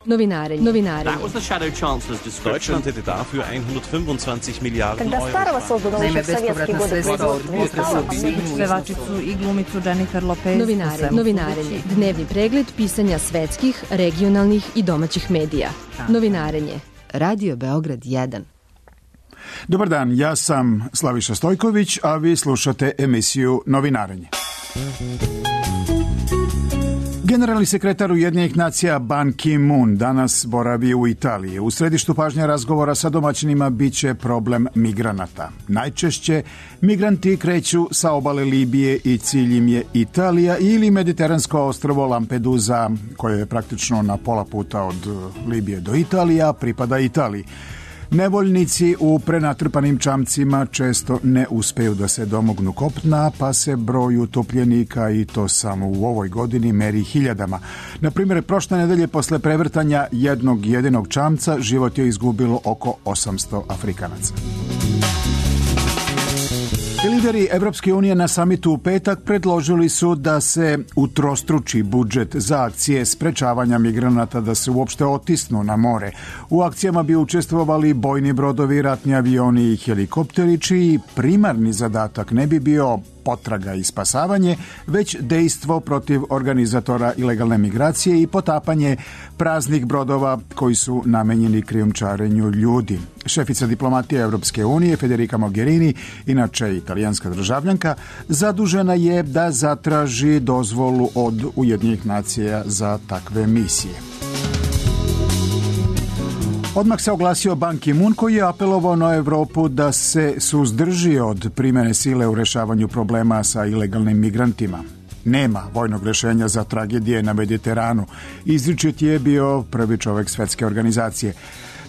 Novinarenje. Deutschland hätte dafür 125 Miliarden Euro. Naime, bespovratna sredstva od pevačicu i glumicu Jennifer Lopez. Novinarenje. Dnevni pregled pisanja svetskih, regionalnih i domaćih medija. Novinarenje. Radio Beograd 1. Dobar dan, ja sam Slaviša Stojković, a vi slušate emisiju Novinarenje. Generalni sekretar Ujedinjenih nacija Ban Ki-moon danas boravi u Italiji. U središtu pažnje razgovora sa domaćinima biće problem migranata. Najčešće migranti kreću sa obale Libije i cilj im je Italija ili mediteransko ostrvo Lampedusa, koje je praktično na pola puta od Libije do Italije, a pripada Italiji. Nevoljnici u prenatrpanim čamcima često ne uspeju da se domognu kopna, pa se broj utopljenika, i to samo u ovoj godini, meri hiljadama. Na primjer, prošle nedelje posle prevrtanja jednog jedinog čamca život je izgubilo oko 800 Afrikanaca. Lideri Evropske unije na samitu u petak predložili su da se utrostruči budžet za akcije sprečavanja migranata da se uopšte otisnu na more. U akcijama bi učestvovali bojni brodovi, ratni avioni i helikopteri, čiji primarni zadatak ne bi bio potraga i spasavanje, već dejstvo protiv organizatora ilegalne migracije i potapanje praznih brodova koji su namenjeni krijumčarenju ljudi. Šefica diplomatije Evropske unije Federica Mogherini, inače italijanska državljanka, zadužena je da zatraži dozvolu od Ujedinjenih nacija za takve misije. Odmah se oglasio Ban Ki-moon, koji je apelovao na Evropu da se suzdrži od primjene sile u rešavanju problema sa ilegalnim migrantima. Nema vojnog rešenja za tragedije na Mediteranu. Izričit je bio prvi čovek Svetske organizacije.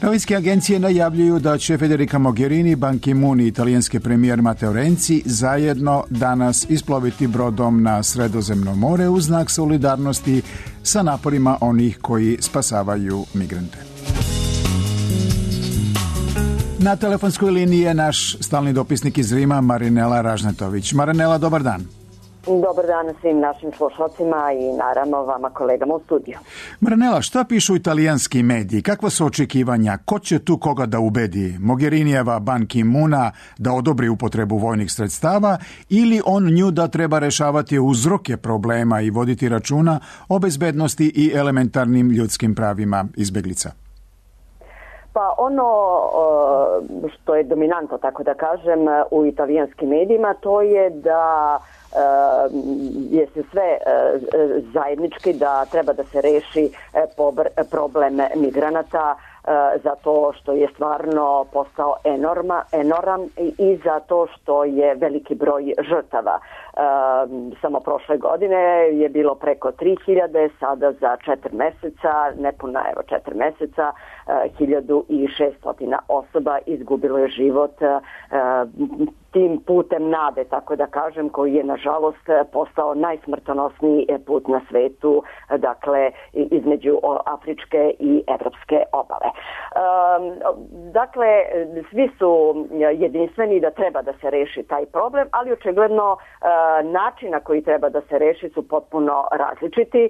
Novinske agencije najavljuju da će Federica Mogherini, Ban Ki-moon i italijanski premijer Matteo Renzi zajedno danas isploviti brodom na Sredozemno more u znak solidarnosti sa naporima onih koji spasavaju migrante. Na telefonskoj liniji je naš stalni dopisnik iz Rima, Marinela Ražnetović. Marinela, dobar dan. Dobar dan svim našim slušalcima i naravno vama kolegama u studiju. Marinela, šta pišu italijanski mediji? Kakva su očekivanja? Ko će tu koga da ubedi? Mogherinijeva Ban Ki-moona da odobri upotrebu vojnih sredstava ili on nju da treba rešavati uzroke problema i voditi računa o bezbednosti i elementarnim ljudskim pravima izbeglica? Pa ono što je dominantno, tako da kažem, u italijanskim medijima, to je da je se sve zajednički da treba da se reši problem migranata, zato što je stvarno postao enorman i zato što je veliki broj žrtava. Samo prošle godine je bilo preko 3000, sada za 4 meseca, nepuna 4 meseca, 1600 osoba izgubilo je život tim putem nade, tako da kažem, koji je nažalost postao najsmrtonosniji put na svetu, dakle između afričke i evropske obale. Dakle, svi su jedinstveni da treba da se reši taj problem, ali očigledno načina koji treba da se reši su potpuno različiti.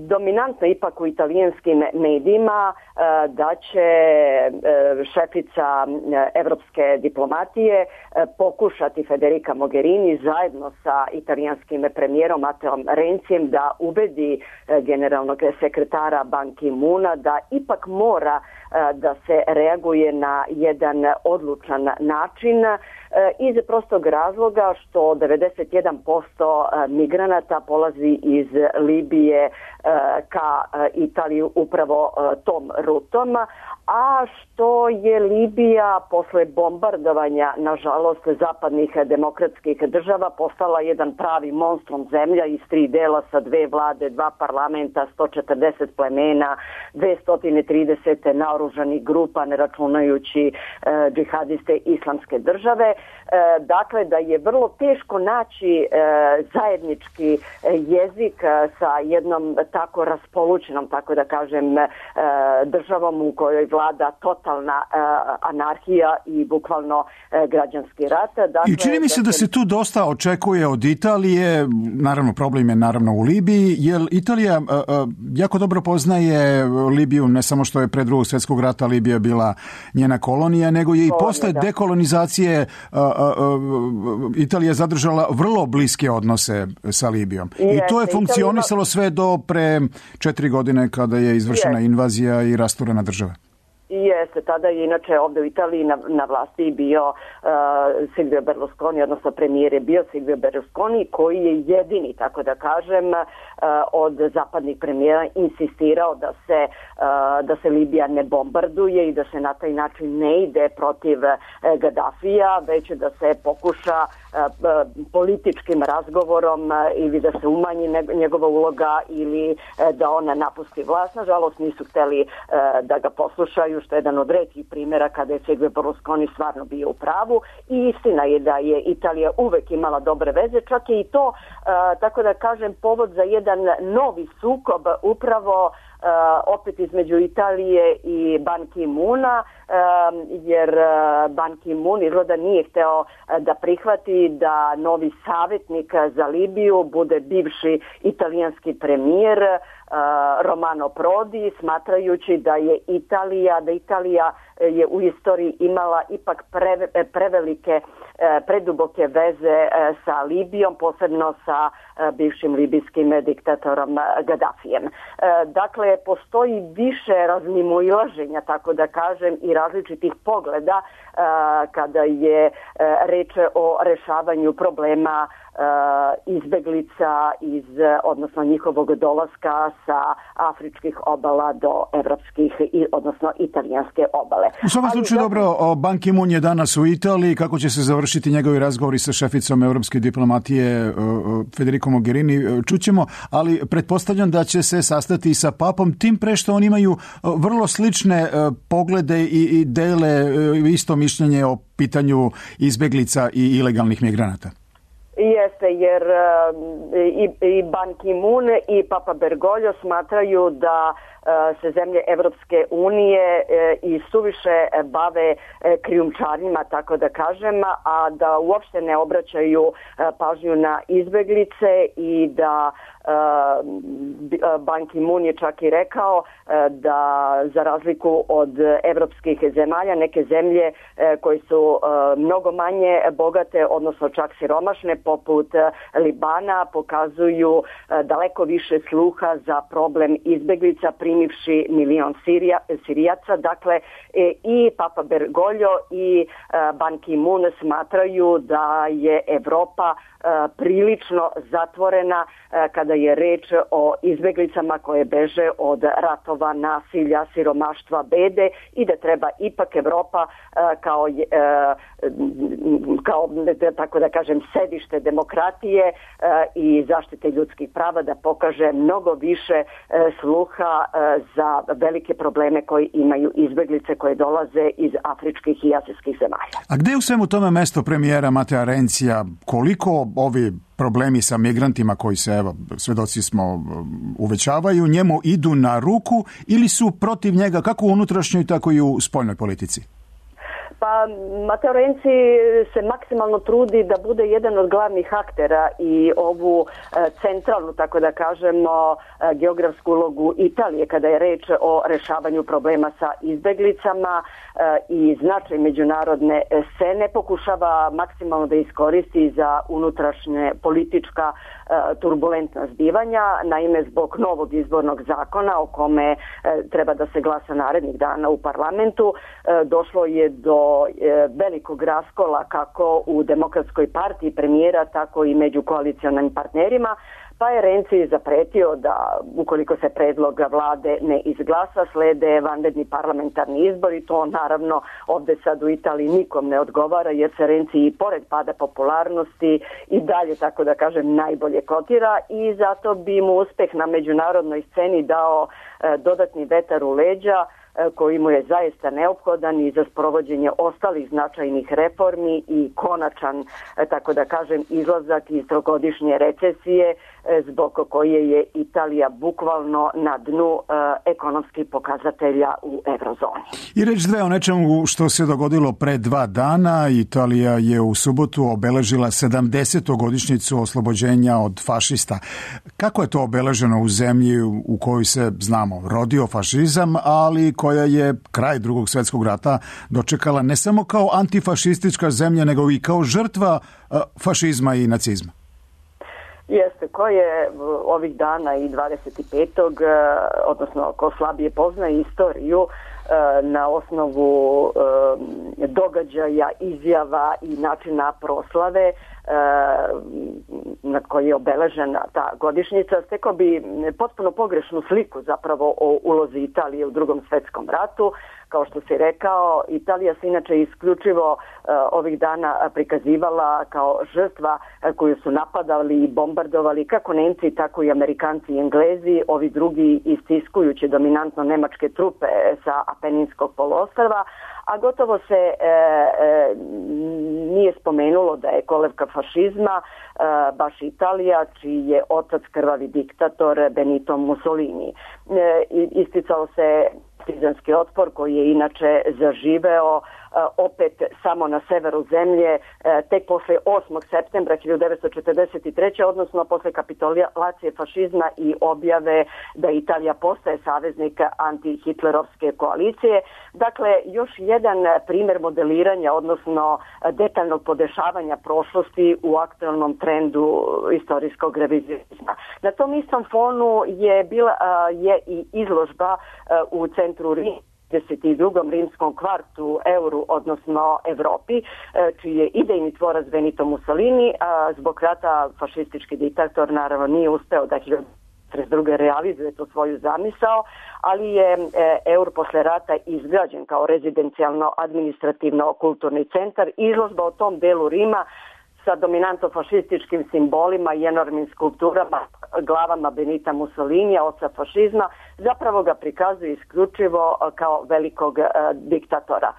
Dominantno ipak u italijanskim medijima da će šefica evropske diplomatije pokušati Federica Mogherini zajedno sa italijanskim premijerom Matteom Renzijem da ubedi generalnog sekretara Ban Ki-moona da ipak mora da se reaguje na jedan odlučan način iz prostog razloga što 91% migranata polazi iz Libije ka Italiju upravo tom rutom, a što je Libija posle bombardovanja, nažalost, zapadnih demokratskih država postala jedan pravi monstrum zemlja iz 3 dela sa 2 vlade, 2 parlamenta, 140 plemena, 230 naoružanih grupa, ne računajući džihadiste islamske države. Dakle, da je vrlo teško naći zajednički jezik sa jednom tako raspolućenom, tako da kažem, državom u kojoj vlada totalna anarhija i bukvalno građanski rat. Dakle, i čini mi se da se tu dosta očekuje od Italije, naravno problem je naravno u Libiji, jer Italija jako dobro poznaje Libiju, ne samo što je pre Drugog svjetskog rata Libija bila njena kolonija, nego je i posle dekolonizacije Italija zadržala vrlo bliske odnose sa Libijom. I to je funkcionisalo sve do pre 4 godine kada je izvršena invazija i rasturena država. Jeste, tada je inače ovdje u Italiji na vlasti bio Silvio Berlusconi, odnosno premijer je bio Silvio Berlusconi, koji je jedini, tako da kažem, od zapadnih premijera insistirao da se Libija ne bombarduje i da se na taj način ne ide protiv Gaddafija, već da se pokuša političkim razgovorom ili da se umanji njegova uloga ili da ona napusti vlast. Nažalost nisu htjeli da ga poslušaju, što je jedan od retkih primjera kada je Silvio Berlusconi stvarno bio u pravu, i istina je da je Italija uvek imala dobre veze, čak je i to, tako da kažem, povod za jedan novi sukob upravo opet između Italije i Ban Ki-moona, jer Ban Ki-moon izgleda nije hteo da prihvati da novi savjetnik za Libiju bude bivši italijanski premijer Romano Prodi, smatrajući da je Italija je u istoriji imala ipak prevelike, preduboke veze sa Libijom, posebno sa bivšim libijskim diktatorom Gaddafijem. Dakle, postoji više razmimoilaženja, tako da kažem, i različitih pogleda kada je reč o rešavanju problema izbeglica odnosno njihovog dolaska sa afričkih obala do evropskih, odnosno italijanske obale. U svakom slučaju dobro, Ban Ki-moon je danas u Italiji, kako će se završiti njegovi razgovori sa šeficom europske diplomatije Federico Mogherini, čućemo, ali pretpostavljam da će se sastati sa papom, tim pre što oni imaju vrlo slične poglede i dele isto mišljenje o pitanju izbeglica i ilegalnih migranata. Jeste, jer i Ban Ki-moon i Papa Bergoglio smatraju da se zemlje Evropske unije i suviše bave krijumčarima, tako da kažem, a da uopšte ne obraćaju pažnju na izbeglice i da Ban Ki-moon je čak i rekao da za razliku od evropskih zemalja, neke zemlje koje su mnogo manje bogate, odnosno čak siromašne, poput Libana, pokazuju daleko više sluha za problem izbeglica, primivši milion Sirijaca. Dakle, i Papa Bergoglio i Ban Ki-moon smatraju da je Evropa prilično zatvorena kada je reč o izbeglicama koje beže od ratova, nasilja, siromaštva, bede, i da treba ipak Evropa kao tako da kažem sedište demokratije i zaštite ljudskih prava da pokaže mnogo više sluha za velike probleme koje imaju izbeglice koje dolaze iz afričkih i azijskih zemalja. A gde je u svemu tome mesto premijera Matea Renzija? Koliko ovi problemi sa migrantima koji se, evo, svedoci smo, uvećavaju, njemu idu na ruku ili su protiv njega kako u unutrašnjoj, tako i u spoljnoj politici? Pa Matteo Renzi se maksimalno trudi da bude jedan od glavnih aktera i ovu centralnu, tako da kažemo, geografsku ulogu Italije kada je reč o rešavanju problema sa izbeglicama i značaj međunarodne scene pokušava maksimalno da iskoristi za unutrašnje politička turbulentna zbivanja. Naime, zbog novog izbornog zakona o kome treba da se glasa narednih dana u parlamentu, došlo je do velikog raskola kako u Demokratskoj partiji premijera, tako i među koalicionalnim partnerima, pa je Renzi zapretio da ukoliko se predlog vlade ne izglasa, slede vanredni parlamentarni izbori. To naravno ovdje sad u Italiji nikom ne odgovara, jer se Renzi i pored pada popularnosti i dalje, tako da kažem, najbolje kotira, i zato bi mu uspeh na međunarodnoj sceni dao dodatni vetar u leđa koji mu je zaista neophodan i za sprovođenje ostalih značajnih reformi i konačan, tako da kažem, izlazak iz trogodišnje recesije zbog koje je Italija bukvalno na dnu ekonomskih pokazatelja u eurozoni. I reći dve o nečemu što se dogodilo pre 2 dana. Italija je u subotu obeležila 70. godišnjicu oslobođenja od fašista. Kako je to obeleženo u zemlji u kojoj se, znamo, rodio fašizam, ali koja je kraj Drugog svjetskog rata dočekala ne samo kao antifašistička zemlja, nego i kao žrtva fašizma i nacizma? Jeste, ko je ovih dana i 25. odnosno ko slabije poznaje istoriju na osnovu događaja, izjava i načina proslave na koji je obeležena ta godišnjica, stekao bi potpuno pogrešnu sliku zapravo o ulozi Italije u Drugom svjetskom ratu. Kao što si rekao, Italija se inače isključivo ovih dana prikazivala kao žrtva koju su napadali i bombardovali kako Nemci, tako i Amerikanci i Englezi, ovi drugi istiskujući dominantno nemačke trupe sa Apeninskog poluostrva, a gotovo se nije spomenulo da je kolevka fašizma baš Italija, čiji je otac krvavi diktator Benito Mussolini. Isticao se partizanski otpor koji je inače zaživeo opet samo na severu zemlje tek posle 8. septembra 1943. odnosno posle kapitulacije fašizma i objave da Italija postaje saveznik antihitlerovske koalicije. Dakle, još jedan primjer modeliranja, odnosno detaljnog podešavanja prošlosti u aktualnom trendu istorijskog revizionizma. Na tom istom fonu je i izložba u centru Rima, 22. rimskom kvartu euru, odnosno Evropi, čiji je idejni tvorac Benito Mussolini, a zbog rata fašistički diktator naravno nije uspeo da 1932. realizuje tu svoju zamisao, ali je eur posle rata izgrađen kao rezidencijalno administrativno kulturni centar. Izložba u tom delu Rima sa dominantno fašističkim simbolima i enormnim skulpturama, glavama Benita Mussolinija, oca fašizma, zapravo ga prikazuje isključivo kao velikog diktatora.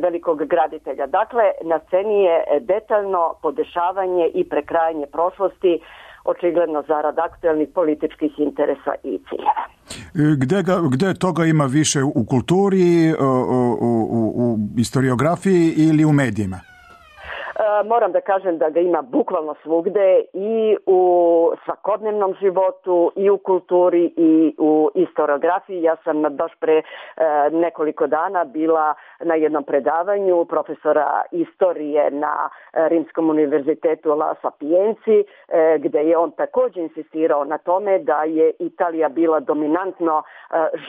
Velikog graditelja. Dakle, na sceni je detaljno podešavanje i prekrajanje prošlosti, očigledno zarad aktualnih političkih interesa i ciljeva. Gde toga ima više, u kulturi, u historiografiji ili u medijima? Moram da kažem da ga ima bukvalno svugde, i u svakodnevnom životu, i u kulturi, i u historiografiji. Ja sam baš pre nekoliko dana bila na jednom predavanju profesora istorije na Rimskom univerzitetu La Sapienci, gde je on također insistirao na tome da je Italija bila dominantno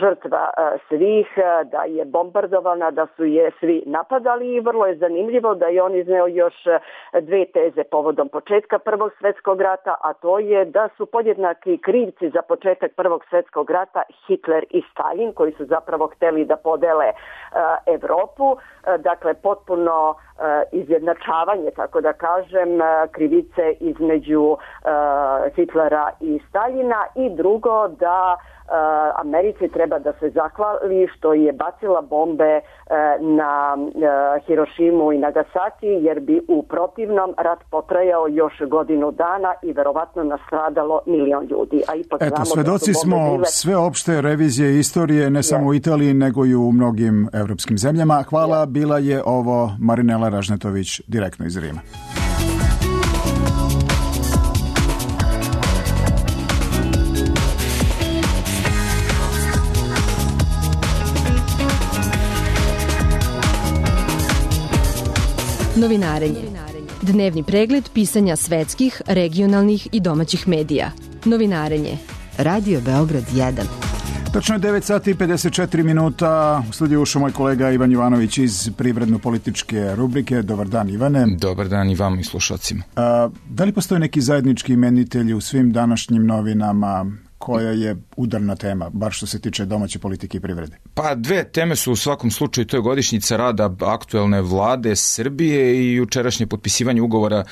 žrtva svih, da je bombardovana, da su je svi napadali, i vrlo je zanimljivo da je on izneo još 2 teze povodom početka Prvog svjetskog rata, a to je da su podjednaki krivci za početak Prvog svjetskog rata Hitler i Stalin, koji su zapravo hteli da podele Evropu. Dakle, potpuno izjednačavanje, tako da kažem, krivice između Hitlera i Staljina, i drugo da Americi treba da se zahvali što je bacila bombe na Hirošimu i Nagasaki, jer bi u protivnom rat potrajao još godinu dana i verovatno nastradalo 1 milion ljudi. A ipak eto, svedoci smo sveopšte revizije istorije, ne samo u Italiji, nego i u mnogim evropskim zemljama. Hvala, bila je ovo Marinela Ražnetović direktno iz Rima. Novinarenje. Dnevni pregled pisanja svetskih, regionalnih i domaćih medija. Novinarenje. Radio Beograd 1. Točno je 9 sati i 54 minuta. U studiju ušao moj kolega Ivan Jovanović iz privredno-političke rubrike. Dobar dan, Ivane. Dobar dan i vama i slušalcima. Da li postoje neki zajednički imenitelji u svim današnjim novinama koja je udarna tema, bar što se tiče domaće politike i privrede? Pa dve teme su u svakom slučaju, to je godišnjica rada aktuelne vlade Srbije i jučerašnje potpisivanje ugovora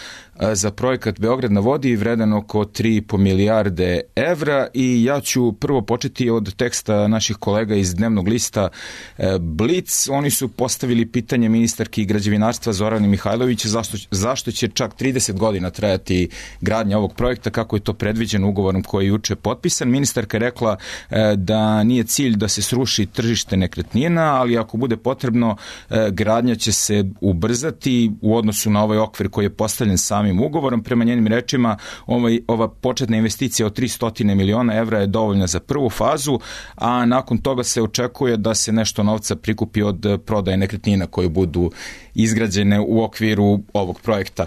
za projekat Beograd na vodi vredan oko 3,5 milijarde evra i ja ću prvo početi od teksta naših kolega iz dnevnog lista Blic. Oni su postavili pitanje ministarki građevinarstva Zorani Mihajlović zašto će čak 30 godina trajati gradnja ovog projekta, kako je to predviđeno ugovorom koji je juče potpisan. Ministarka je rekla da nije cilj da se sruši tržište nekretnina, ali ako bude potrebno, gradnja će se ubrzati u odnosu na ovaj okvir koji je postavljen samim ugovorom. Prema njenim rečima, ova početna investicija od 300 miliona evra je dovoljna za prvu fazu, a nakon toga se očekuje da se nešto novca prikupi od prodaje nekretnina koje budu izgrađene u okviru ovog projekta.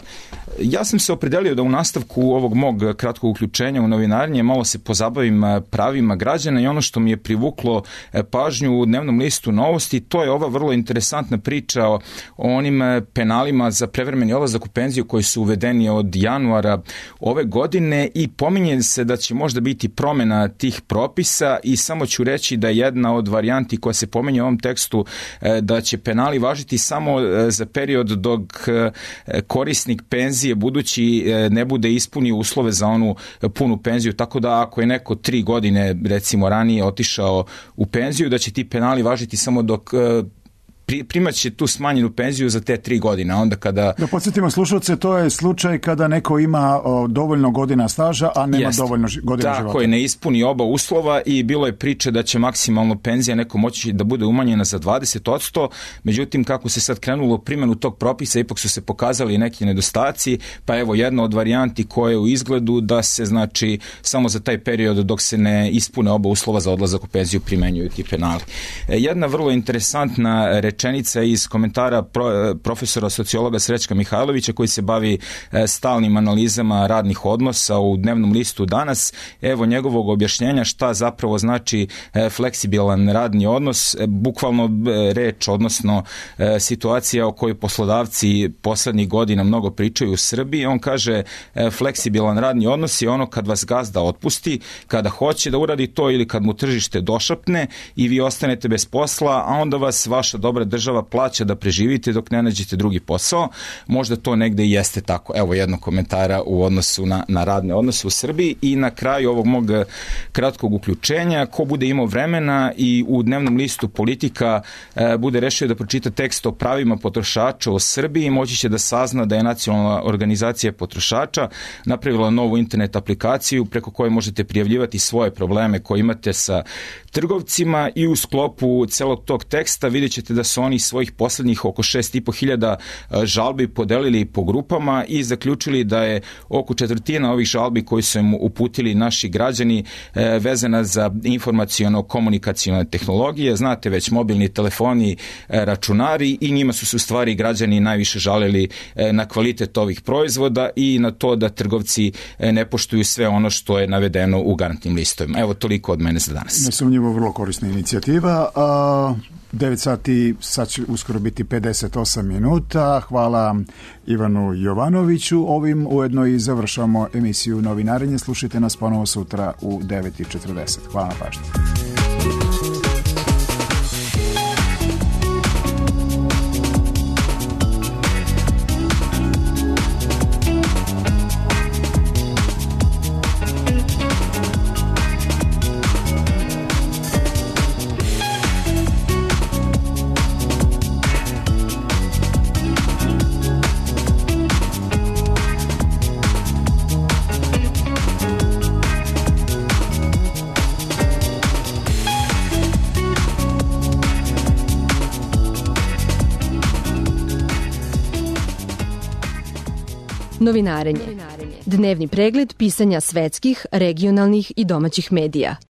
Ja sam se opredelio da u nastavku ovog mog kratkog uključenja u novinarenje malo se pozabavim pravima građana i ono što mi je privuklo pažnju u dnevnom listu Novosti, to je ova vrlo interesantna priča o onim penalima za prevremeni odlazak u penziju koji su uvedeni od januara ove godine i pominje se da će možda biti promjena tih propisa i samo ću reći da je jedna od varijanti koja se pominje u ovom tekstu da će penali važiti samo za period dok korisnik penzije budući ne bude ispunio uslove za onu punu penziju, tako da ako je neko 3 godine recimo ranije otišao u penziju, da će ti penali važiti samo dok primat će tu smanjenu penziju za te 3 godine. Onda kada... Da podsjetimo slušalce, to je slučaj kada neko ima dovoljno godina staža, a nema dovoljno godina života. Tako je, ne ispuni oba uslova i bilo je priče da će maksimalno penzija neko moći da bude umanjena za 20%, međutim kako se sad krenulo u primjenu tog propisa, ipak su se pokazali neki nedostaci, pa evo jedna od varijanti koja je u izgledu da se znači samo za taj period dok se ne ispune oba uslova za odlazak u penziju primenjuju ti penali. Jedna vrlo interesantna rečenica iz komentara profesora sociologa Srećka Mihajlovića koji se bavi stalnim analizama radnih odnosa u dnevnom listu Danas. Evo njegovog objašnjenja šta zapravo znači fleksibilan radni odnos, bukvalno reč, odnosno situacija o kojoj poslodavci poslednjih godina mnogo pričaju u Srbiji. On kaže fleksibilan radni odnos je ono kad vas gazda otpusti, kada hoće da uradi to ili kad mu tržište došapne i vi ostanete bez posla, a onda vas vaša dobra država plaća da preživite dok ne nađete drugi posao. Možda to negde i jeste tako. Evo jednog komentara u odnosu na radne odnose u Srbiji i na kraju ovog mog kratkog uključenja, ko bude imao vremena i u dnevnom listu Politika bude rešio da pročita tekst o pravima potrošača u Srbiji, moći će da sazna da je Nacionalna organizacija potrošača napravila novu internet aplikaciju preko koje možete prijavljivati svoje probleme koje imate sa trgovcima i u sklopu celog tog teksta vidjet ćete da su oni svojih poslednjih oko 6.500 žalbi podelili po grupama i zaključili da je oko četvrtina ovih žalbi koji su im uputili naši građani vezana za informaciono-komunikacione tehnologije. Znate već, mobilni telefoni, računari i njima su se u stvari građani najviše žalili na kvalitet ovih proizvoda i na to da trgovci ne poštuju sve ono što je navedeno u garantnim listovima. Evo toliko od mene za danas. Nesumnjivo vrlo korisna inicijativa. 9 sati, sad će uskoro biti 58 minuta. Hvala Ivanu Jovanoviću. Ovim ujedno i završamo emisiju Novinarenje. Slušajte nas ponovo sutra u 9:40. Hvala na pažnji. Novinarenje. Dnevni pregled pisanja svetskih, regionalnih i domaćih medija.